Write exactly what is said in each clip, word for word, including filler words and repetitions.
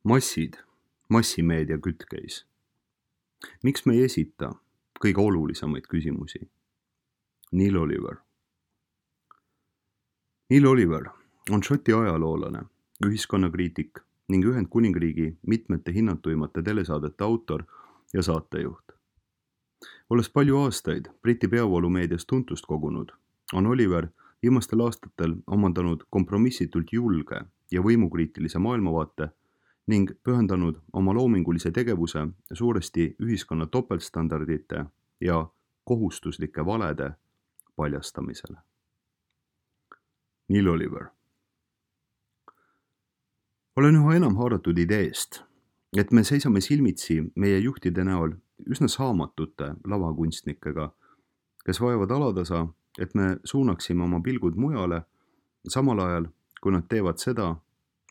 Massid, massimeedia kütkeis. Miks me ei esita kõige olulisemaid küsimusi? Neil Oliver. Neil Oliver on Šoti ajaloolane, ühiskonnakriitik ning Ühendkuningriigi mitmete hinnatuimate telesaadete autor ja saatejuht. Olles palju aastaid Briti peavoolumeedias tuntust kogunud, on Oliver viimastel aastatel omandanud kompromissitult julge ja võimukriitilise maailmavaate ning pühendanud oma loomingulise tegevuse suuresti ühiskonna topeltstandardite ja kohustuslike valede paljastamisele. Neil Oliver. Olen üha enam haaratud ideest, et me seisame silmitsi meie juhtide näol üsna saamatute lavakunstnikega, kes vajavad alatasa, et me suunaksime oma pilgud mujale, samal ajal, kui nad teevad seda,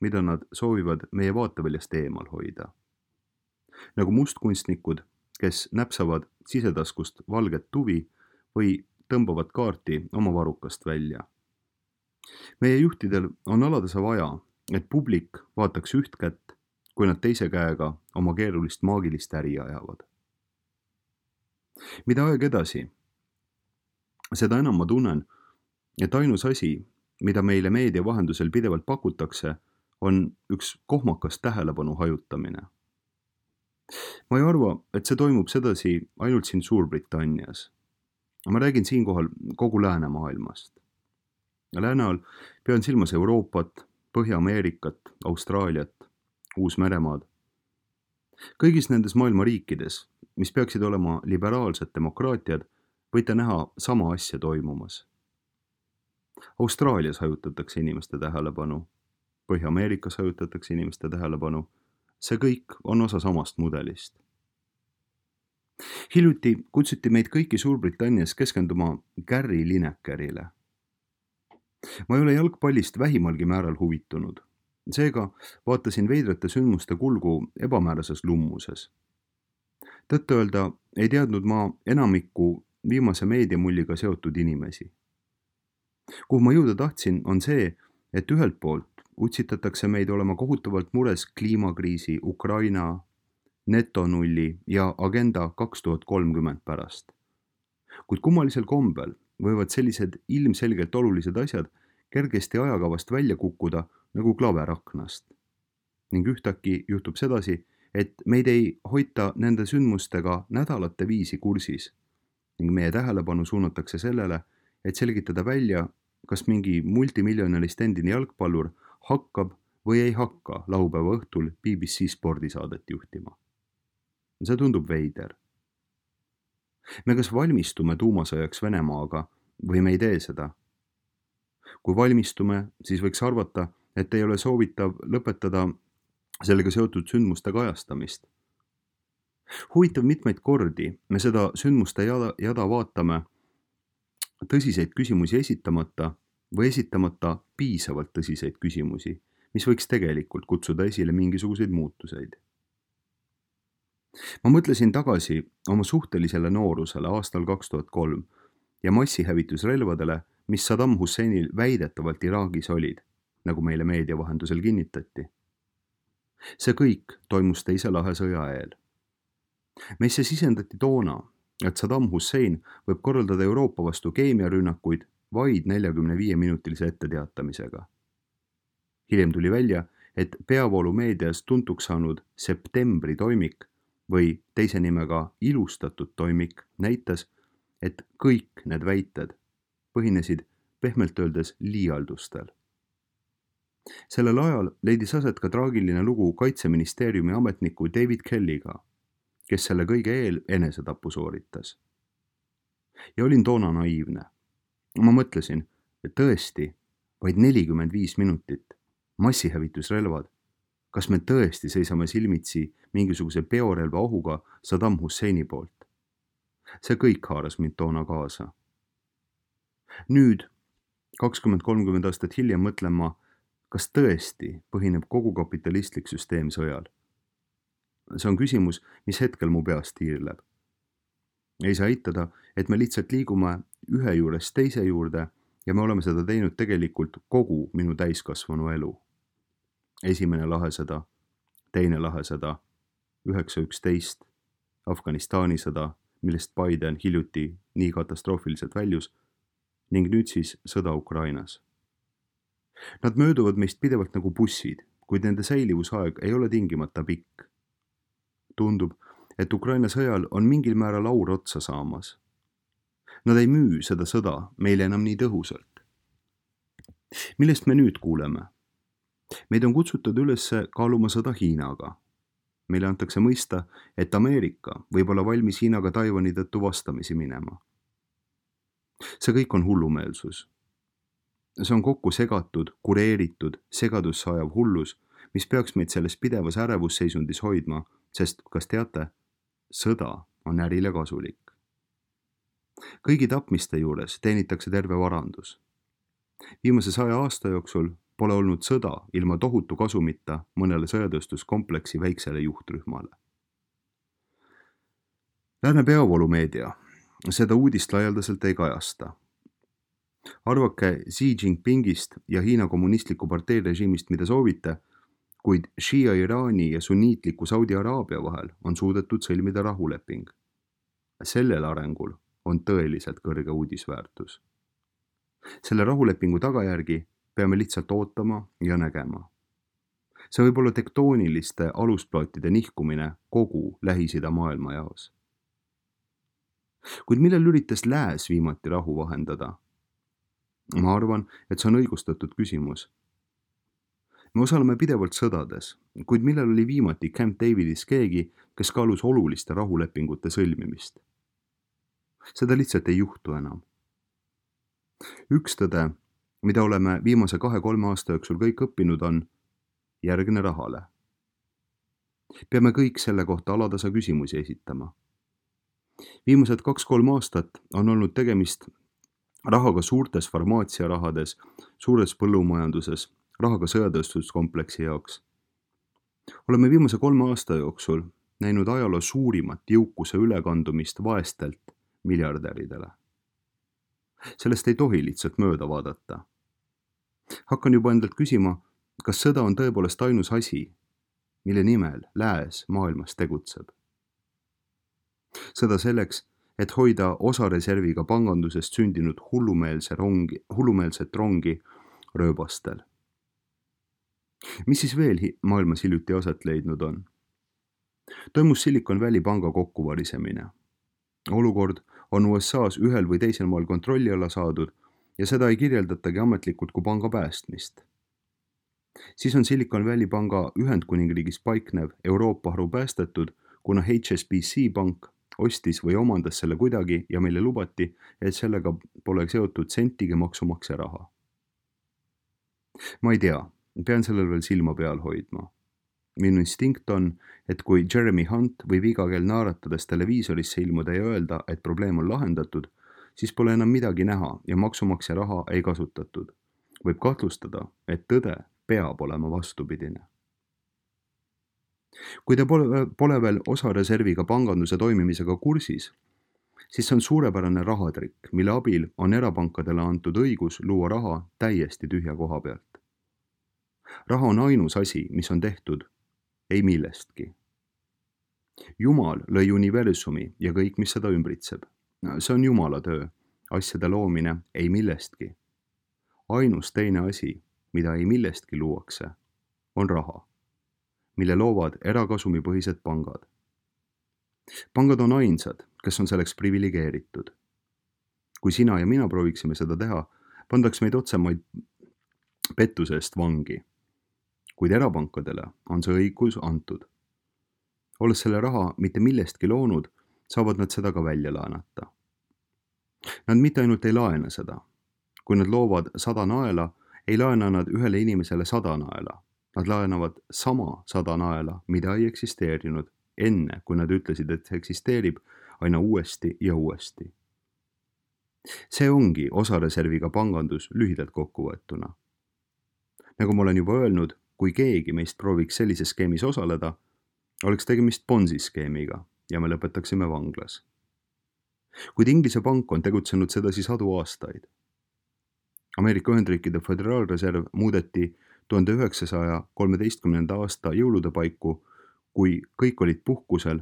mida nad soovivad meie vaateväljast eemal hoida. Nagu mustkunstnikud, kes näpsavad sisetaskust valget tuvi või tõmbavad kaarti oma varukast välja. Meie juhtidel on alatasa vaja, et publik vaataks üht kätt, kui nad teise käega oma keerulist maagilist äri ajavad. Mida aeg edasi, seda enam ma tunnen, et ainus asi, mida meile meedia vahendusel pidevalt pakutakse, on üks kohmakas tähelepanu hajutamine. Ma ei arva, et see toimub sedasi ainult siin Suurbritannias. Ma räägin siinkohal kogu läänemaailmast. Lääne all pean silmas Euroopat, Põhja-Ameerikat, Austraaliat, Uus-Meremaad. Kõigis nendes maailma riikides, mis peaksid olema liberaalsed demokraatiad, võite näha sama asja toimumas. Austraalias hajutatakse inimeste tähelepanu, Põhja-Ameerikas hajutatakse inimeste tähelepanu. See kõik on osa samast mudelist. Hiljuti kutsuti meid kõiki Suurbritannias keskenduma Gary Linekerile. Ma ei ole jalgpallist vähimalgi määral huvitunud. Seega vaatasin veidrate sündmuste kulgu ebamäärases lummuses. Tõtt öelda ei teadnud ma enamikku viimase meediamulliga seotud inimesi. Kuhu ma jõuda tahtsin, on see, et ühelt poolt utsitatakse meid olema kohutavalt mures kliimakriisi, Ukraina, netonulli ja agenda kaks tuhat kolmkümmend pärast. Kuid kummalisel kombel võivad sellised ilmselgelt olulised asjad kergesti ajakavast välja kukkuda nagu klaver aknast. Ning ühtäkki juhtub sedasi, et meid ei hoita nende sündmustega nädalate viisi kursis ning meie tähelepanu suunatakse sellele, et selgitada välja, kas mingi multimiljonalist endine jalgpallur hakkab või ei hakka laupäeva õhtul B B C spordisaadet juhtima. See tundub veider. Me kas valmistume tuumasõjaks Venemaaga või me ei tee seda. Kui valmistume, siis võiks arvata, et ei ole soovitav lõpetada sellega seotud sündmuste kajastamist. Huvitav mitmeid kordi me seda sündmuste jada, jada vaatame tõsiseid küsimusi esitamata või esitamata piisavalt tõsiseid küsimusi, mis võiks tegelikult kutsuda esile mingisuguseid muutuseid. Ma mõtlesin tagasi oma suhtelisele noorusele aastal kaks tuhat kolm ja massihävitusrelvadele, mis Saddam Husseinil väidetavalt Iraagis olid, nagu meile meedia vahendusel kinnitati. See kõik toimus teise lahe sõja eel. Meisse sisendati toona, et Saddam Hussein võib korraldada Euroopa vastu keemiarünnakuid vaid neljakümne viie minutilise etteteatamisega. Hiljem tuli välja, et peavoolumeedias tuntuks saanud septembri toimik või teise nimega ilustatud toimik näitas, et kõik need väited põhinesid pehmelt öeldes liialdustel. Sellel ajal leidis aset ka traagiline lugu Kaitseministeeriumi ametniku David Kellyga, kes selle kõige eel enesetapu sooritas. Ja olin toona naiivne. Ma mõtlesin, et tõesti, vaid nelikümmend viis minutit, massihävitusrelvad. Kas me tõesti seisame silmitsi mingisuguse biorelva ohuga Saddam Husseini poolt? See kõik haaras mind toona kaasa. Nüüd, kakskümmend kolmkümmend aastat hiljem mõtlen ma, kas tõesti põhineb kogu kapitalistlik süsteem sõjal? See on küsimus, mis hetkel mu peast tiirleb. Ei saa eitada, et me lihtsalt liigume ühe juurest teise juurde ja me oleme seda teinud tegelikult kogu minu täiskasvanu elu. Esimene lahe seda, teine lahesõda, üheksa üksteist, Afganistani sõda, millest Biden hiljuti nii katastroofiliselt väljus, ning nüüd siis sõda Ukrainas. Nad mööduvad meist pidevalt nagu bussid, kuid nende säilivusaeg ei ole tingimata pikk. Tundub, et Ukraina sõjal on mingil määral aur otsa saamas. Nad ei müü seda sõda meile enam nii tõhusalt. Millest me nüüd kuuleme? Meid on kutsutud üles kaaluma sõda Hiinaga. Meile antakse mõista, et Ameerika võib olla valmis Hiinaga Taiwani tõttu vastamisi minema. See kõik on hullumeelsus. See on kokku segatud, kureeritud, segadusse ajav hullus, mis peaks meid selles pidevas ärevusseisundis hoidma, sest, kas teate, sõda on ärile kasulik. Kõigi tapmiste juures teenitakse terve varandus. Viimase saja aasta jooksul pole olnud sõda ilma tohutu kasumita mõnele sõjatööstuskompleksi väiksele juhtrühmale. Lääne peavoolumeedia seda uudist laialdaselt ei kajasta. Arvake Xi Jinpingist ja Hiina kommunistliku partei režiimist, mida soovite, kuid Shia Iraani ja sunniitliku Saudi Araabia vahel on suudetud sõlmida rahuleping. Sellel arengul on tõeliselt kõrge uudisväärtus. Selle rahulepingu tagajärgi peame lihtsalt ootama ja nägema. See võib olla tektooniliste alusplaatide nihkumine kogu Lähis-Ida maailma jaos. Kuid millel üritas lääs viimati rahu vahendada? Ma arvan, et see on õigustatud küsimus. Me osaleme pidevalt sõdades, kuid millal oli viimati Camp Davidis keegi, kes kaalus oluliste rahulepingute sõlmimist? Seda lihtsalt ei juhtu enam. Üks tõde, mida oleme viimase kahe-kolme aasta jooksul kõik õppinud, on järgne rahale. Peame kõik selle kohta alatasa küsimusi esitama. Viimased kaks-kolm aastat on olnud tegemist rahaga suurtes farmaatsiarahades, suures põllumajanduses, rahaga sõjatööstuskompleksi jaoks. Oleme viimase kolme aasta jooksul näinud ajaloo suurimat jõukuse ülekandumist vaestelt miljardäridele. Sellest ei tohi lihtsalt mööda vaadata. Hakkan juba endalt küsima, kas sõda on tõepoolest ainus asi, mille nimel lääs maailmas tegutseb. Sõda selleks, et hoida osareserviga pangandusest sündinud hullumeelse rongi, hullumeelset rongi rööbastel. Mis siis veel maailmas hiljuti aset leidnud on? Toimus Silicon Valley panga kokkuvarisemine. Olukord on U S A-s ühel või teisel maal kontrolli alla saadud ja seda ei kirjeldatagi ametlikult kui panga päästmist. Siis on Silicon Valley panga Ühendkuningriigis paiknev Euroopa haru päästetud, kuna H S B C pank ostis või omandas selle kuidagi ja meile lubati, et sellega pole seotud sentigi maksumaksja raha. Ma ei tea, pean sellel veel silma peal hoidma. Minu instinkt on, et kui Jeremy Hunt võib iga kell naaratades televiisorisse ilmuda ja öelda, et probleem on lahendatud, siis pole enam midagi näha ja maksumaksja raha ei kasutatud. Võib kahtlustada, et tõde peab olema vastupidine. Kui te pole, pole veel osareserviga panganduse toimimisega kursis, siis see on suurepärane rahatrikk, mille abil on erapankadele antud õigus luua raha täiesti tühja koha pealt. Raha on ainus asi, mis on tehtud ei millestki. Jumal lõi universumi ja kõik, mis seda ümbritseb. See on Jumala töö, asjade loomine ei millestki. Ainus teine asi, mida ei millestki luuakse, on raha, mille loovad erakasumipõhised pangad. Pangad on ainsad, kes on selleks privilegeeritud. Kui sina ja mina prooviksime seda teha, pandaks meid otsemaid pettuse eest vangi. Kuid erapankadele on see õigus antud. Olles selle raha mitte millestki loonud, saavad nad seda ka välja laenata. Nad mitte ainult ei laena seda. Kui nad loovad sada naela, ei laena nad ühele inimesele sada naela. Nad laenavad sama sada naela, mida ei eksisteerinud, enne kui nad ütlesid, et see eksisteerib aina uuesti ja uuesti. See ongi osareserviga pangandus lühidalt kokkuvõetuna. Nagu ma olen juba öelnud, kui keegi meist prooviks sellises skeemis osaleda, oleks tegemist Ponzi skeemiga ja me lõpetaksime vanglas. Kuid Inglise pank on tegutsenud sedasi sadu aastaid. Ameerika Ühendriikide Föderaalreserv muudeti tuhande üheksasaja kolmeteistkümnenda aasta jõulude paiku, kui kõik olid puhkusel,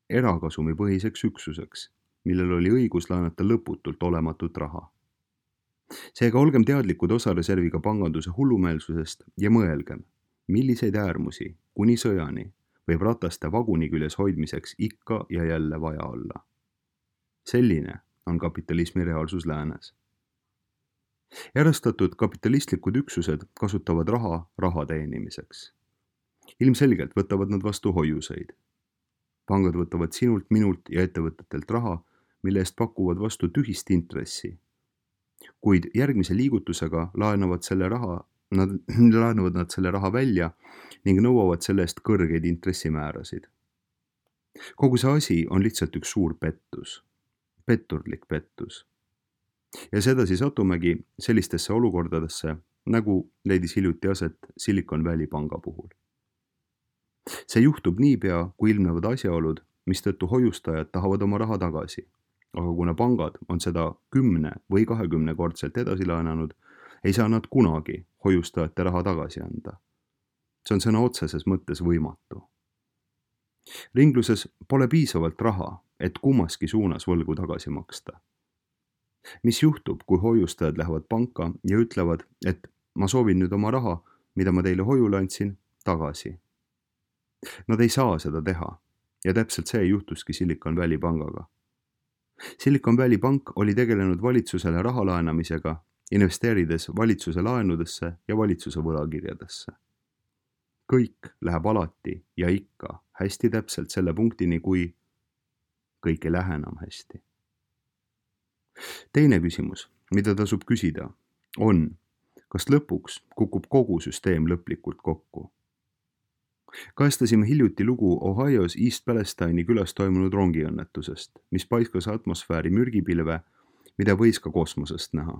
erakasumipõhiseks üksuseks, millel oli õigus laenata lõputult olematut raha. Seega olgem teadlikud osareserviga panganduse hullumeelsusest ja mõelgem, milliseid äärmusi kuni sõjani võib rataste vaguni küljes hoidmiseks ikka ja jälle vaja olla. Selline on kapitalismi reaalsus läänes. Erastatud kapitalistlikud üksused kasutavad raha raha teenimiseks. Ilmselgelt võtavad nad vastu hoiuseid. Pangad võtavad sinult, minult ja ettevõtetelt raha, mille eest pakuvad vastu tühist intressi. Kuid järgmise liigutusega laenavad, selle raha, nad, laenavad nad selle raha välja ning nõuavad selle eest kõrgeid intressimäärasid. Kogu see asi on lihtsalt üks suur pettus. Petturlik pettus. Ja sedasi satumegi sellistesse olukordadesse, nagu leidis hiljuti aset Silicon Valley panga puhul. See juhtub niipea, kui ilmnevad asjaolud, mistõttu hoiustajad tahavad oma raha tagasi. Aga kuna pangad on seda kümne või kahekümne kordselt edasi laenanud, ei saa nad kunagi hoiustajate raha tagasi anda. See on sõna otseses mõttes võimatu. Ringluses pole piisavalt raha, et kummaski suunas võlgu tagasi maksta. Mis juhtub, kui hoiustajad lähevad panka ja ütlevad, et ma soovin nüüd oma raha, mida ma teile hoiule andsin, tagasi? Nad ei saa seda teha ja täpselt see juhtuski Silicon Valley pangaga. Silicon Valley pank oli tegelenud valitsusele raha laenamisega, investeerides valitsuse laenudesse ja valitsuse võlakirjadesse. Kõik läheb alati ja ikka hästi täpselt selle punktini, kui kõik ei lähe enam hästi. Teine küsimus, mida tasub küsida, on, kas lõpuks kukub kogu süsteem lõplikult kokku. Kajastasime hiljuti lugu Ohios East Palestine'i külas toimunud rongiõnnetusest, mis paiskas atmosfääri mürgipilve, mida võis ka kosmosest näha.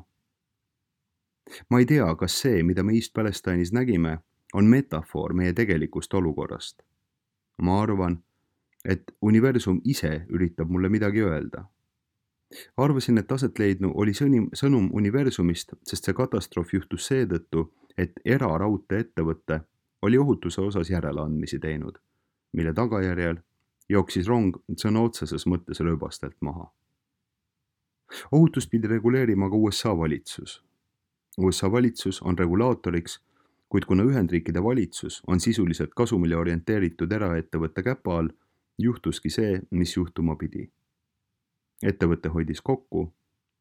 Ma ei tea, kas see, mida me East Palestine'is nägime, on metafoor meie tegelikust olukorrast. Ma arvan, et universum ise üritab mulle midagi öelda. Arvasin, et aset leidnu oli sõnum universumist, sest see katastroof juhtus seetõttu, et eraraudtee ettevõtte oli ohutuse osas järeleandmisi teinud, mille tagajärjel jooksis rong sõna otseses mõttes rööbastelt maha. Ohutust pidi reguleerima ka U S A valitsus. U S A valitsus on regulaatoriks, kuid kuna Ühendriikide valitsus on sisuliselt kasumile orienteeritud eraettevõtte käpa all, juhtuski see, mis juhtuma pidi. Ettevõte hoidis kokku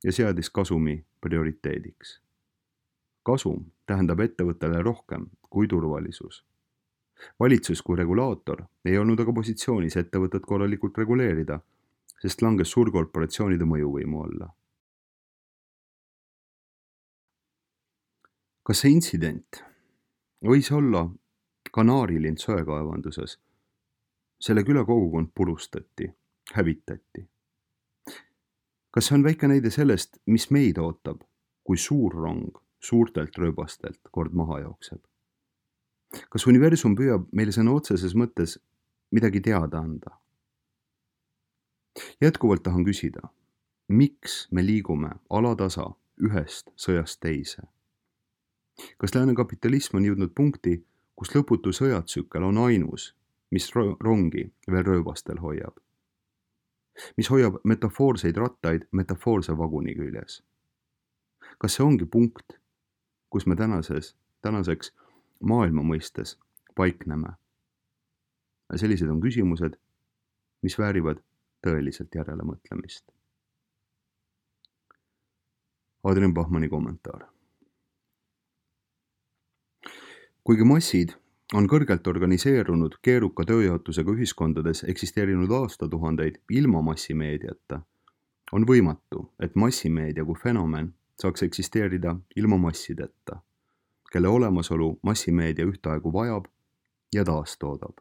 ja seadis kasumi prioriteediks. Kasum tähendab ettevõttele rohkem kui turvalisus. Valitsus kui regulaator ei olnud aga positsioonis ettevõtet korralikult reguleerida, sest langes suurkorporatsioonide mõjuvõimu alla. Kas see intsident võis olla Kanaarilind söekaevanduses? Selle küla kogukond purustati, hävitati. Kas see on väike näide sellest, mis meid ootab, kui suur rong suurtelt rööbastelt kord maha jookseb? Kas universum püüab meile sõna otseses mõttes midagi teada anda? Jätkuvalt tahan küsida, miks me liigume alatasa ühest sõjast teise? Kas lääne kapitalism on jõudnud punkti, kus lõputu sõjatsükkel on ainus, mis rongi veel rööbastel hoiab? Mis hoiab metafoorseid rattaid metafoorse vaguni küljes? Kas see ongi punkt, kus me tänases, tänaseks maailma mõistes paikneme? Sellised on küsimused, mis väärivad tõeliselt järele mõtlemist. Adrian Bachmanni kommentaar. Kuigi massid on kõrgelt organiseerunud keeruka tööjaotusega ühiskondades eksisteerinud aastatuhandeid ilma massimeediata, on võimatu, et massimeedia kui fenomen saaks eksisteerida ilma massideta, kelle olemasolu massimeedia ühtaegu vajab ja taastoodab.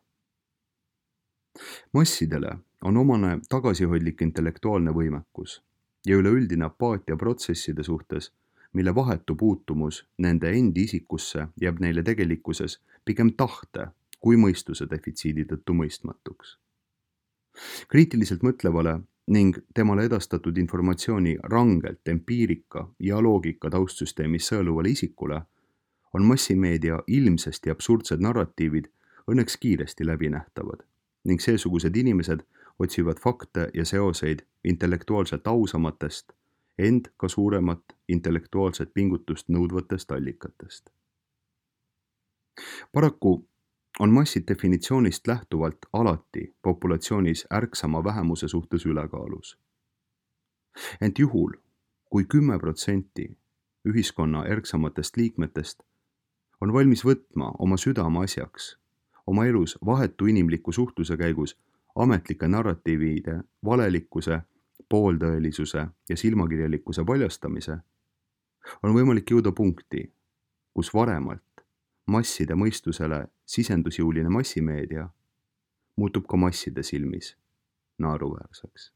Massidele on omane tagasihoidlik intellektuaalne võimekus ja üleüldine apaatia protsesside suhtes, mille vahetu puutumus nende endi isikusse jääb neile tegelikkuses pigem tahte kui mõistuse defitsiidi tõttu mõistmatuks. Kriitiliselt mõtlevale ning temale edastatud informatsiooni rangelt empiirika ja loogika taustsüsteemis sõeluvale isikule on massimeedia ilmsesti absurdsed narratiivid õnneks kiiresti läbinähtavad ning seesugused inimesed otsivad fakte ja seoseid intellektuaalselt ausamatest, ent ka suuremat intellektuaalset pingutust nõudvatest allikatest. Paraku on massid definitsioonist lähtuvalt alati populatsioonis ärksama vähemuse suhtes ülekaalus. Ent juhul, kui kümme protsenti ühiskonna ärksamatest liikmetest on valmis võtma oma südame asjaks, oma elus vahetu inimliku suhtluse käigus ametlike narratiivide valelikkuse, pooltõelisuse ja silmakirjalikkuse paljastamise, on võimalik jõuda punkti, kus varemalt masside mõistusele sisendusjõuline massimeedia muutub ka masside silmis naeruväärseks.